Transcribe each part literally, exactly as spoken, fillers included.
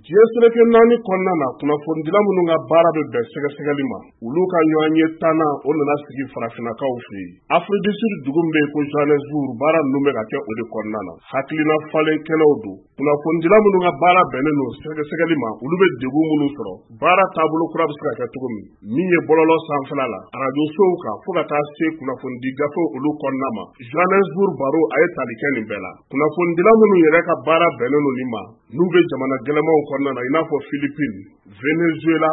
Diɲɛ seleke naani kɔnɔna na, kunnafonidila minnu ka baara bɛ bɛn sɛgɛsɛgɛli ma, olu ka ɲɔgɔn ye tannan o nana sigi farafinnakaw fɛ yen. Afrique du Sud dugu min bɛ yen ko Johannesburg, baara ninnu bɛ ka kɛ o de kɔnɔna na. Hakilina falen kɛnɛw don. Kunnafonidila minnu ka baara bɛnnen don sɛgɛsɛgɛli ma, olu bɛ degun minnu sɔrɔ, baara taabolo kura bɛ se ka kɛ cogo min, min ye bɔlɔlɔ sanfɛla la, arajosow kan, fo ka taa se kunnafonidi gafew olu kɔnɔna ma. Johannesburg baro a ye tali kɛ nin bɛɛ la. Kunnafonidila minnu yɛrɛ ka baara bɛnnen don nin ma, n'u bɛ jamana gɛlɛmanw kɔnɔna na, i n'a fɔ Philippines, Venezuela,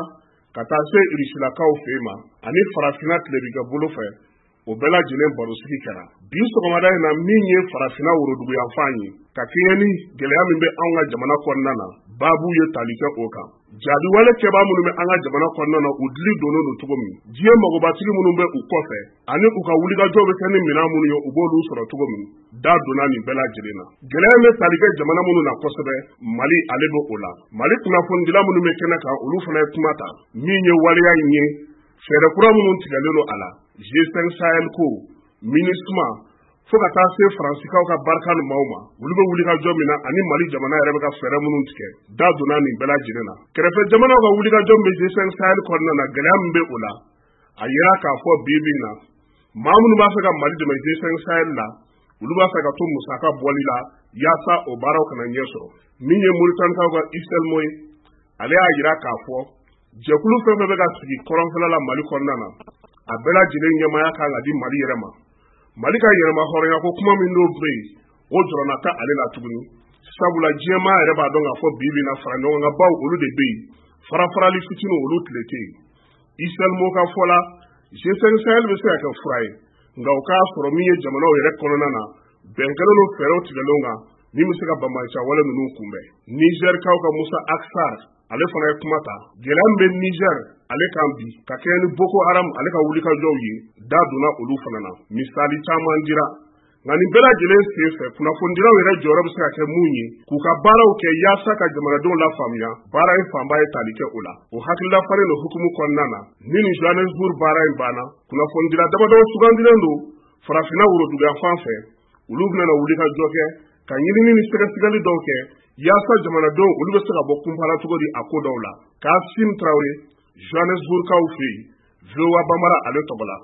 ka taa se Rusilakaw fɛ yen ma, ani farafinna tilebinka bolo fɛ, o bɛɛ lajɛlen barosigi kɛra. Bi sɔgɔmada in na, min ye farafinna woroduguyanfan ye, ka kɛɲɛ ni gɛlɛya min bɛ anw ka jamana kɔnɔna na, baabu ye tali kɛ o kan. Jaabiwale kɛbaa minnu bɛ an ka jamana kɔnɔna na, u dili donnen don cogo min, diɲɛ magobatigi minnu bɛ u kɔfɛ, ani u ka wulikajɔw bɛ kɛ ni minɛn minnu ye, u b'olu sɔrɔ cogo min, da donna nin bɛɛ lajɛlen na. Gɛlɛya bɛ tali kɛ jamana minnu na kosɛbɛ, Mali ale bɛ o la. Mali kunnafonidila minnu bɛ kɛnɛ kan, olu fana ye kuma ta. Min ye waleya in ye, fɛɛrɛ kura minnu tigɛlen don a la, G cinq Sahel ko, MINUSMA, fo ka taa se Faransikaw ka barika ni maaw ma, olu bɛ wulikajɔ min na, ani Mali jamana yɛrɛ bɛ ka fɛɛrɛ minnu tigɛ, da donna nin bɛɛ lajɛlen na. Kɛrɛfɛ jamanaw ka wulikajɔ min bɛ G cinq Sahel kɔnɔna na, gɛlɛya min bɛ o la, a yira k'a fɔ bi bi in na, maa minnu b'a fɛ ka Mali dɛmɛ G cinq Sahel la, olu b'a fɛ ka to musaka bɔli la yaasa o baaraw kana ɲɛ sɔrɔ. Min ye Moritanikaw ka Iselmo ye, ale y'a yira k'a fɔ jɛkulu fɛn fɛn bɛ ka sigi kɔrɔnfɛla la Mali kɔnɔna na, a bɛɛ lajɛlen ɲɛmaaya kan ka di Mali yɛrɛ ma. Mali ka yɛrɛma hɔrɔnya ko kuma min n'o bɛ yen, o jɔrɔna tɛ ale la tuguni. Sabula diɲɛmaa yɛrɛ b'a dɔn k'a fɔ bi bi in na fara ɲɔgɔn kan baw olu de bɛ yen, farafarali fitininw olu tile tɛ yen. Iselmo ka fɔ la, G cinq Sahel bɛ se ka kɛ fura ye, nka o k'a sɔrɔ min ye jamanaw yɛrɛ kɔnɔna na, bɛn kɛlen don fɛɛrɛw tigɛlenw kan min bɛ se ka banbaanciya wale ninnu kunbɛn. Nizɛrikaw ka Musa Aksar, ale fana ye kuma ta. Gɛlɛya min bɛ Nizɛr ale kan bi, ka kɛɲɛ ni Boko Haram ale ka wulikajɔw ye, da donna olu fana na. Misali caman dira. Nka nin bɛɛ lajɛlen sen fɛ, kunnafonidilaw yɛrɛ jɔyɔrɔ bɛ se ka kɛ mun ye, k'u ka baaraw kɛ yaasa ka jamanadenw lafaamuya, baara in fanba ye tali kɛ o la. O hakilila falen don hukumu kɔnɔna na, ni nin Johannesburg baara in banna, kunnafonidila damadɔ sugandilen don farafinna woroduguyanfan fɛ, olu bɛna na wulikajɔ kɛ ka ɲinini ni sɛgɛsɛgɛli dɔw kɛ yaasa jamanadenw olu bɛ se ka bɔ kunpa la cogo di a ko dɔw la. Kasim Tarawele, Johannesburgkaw fɛ yen, V O A Bambara ale tɔgɔ la.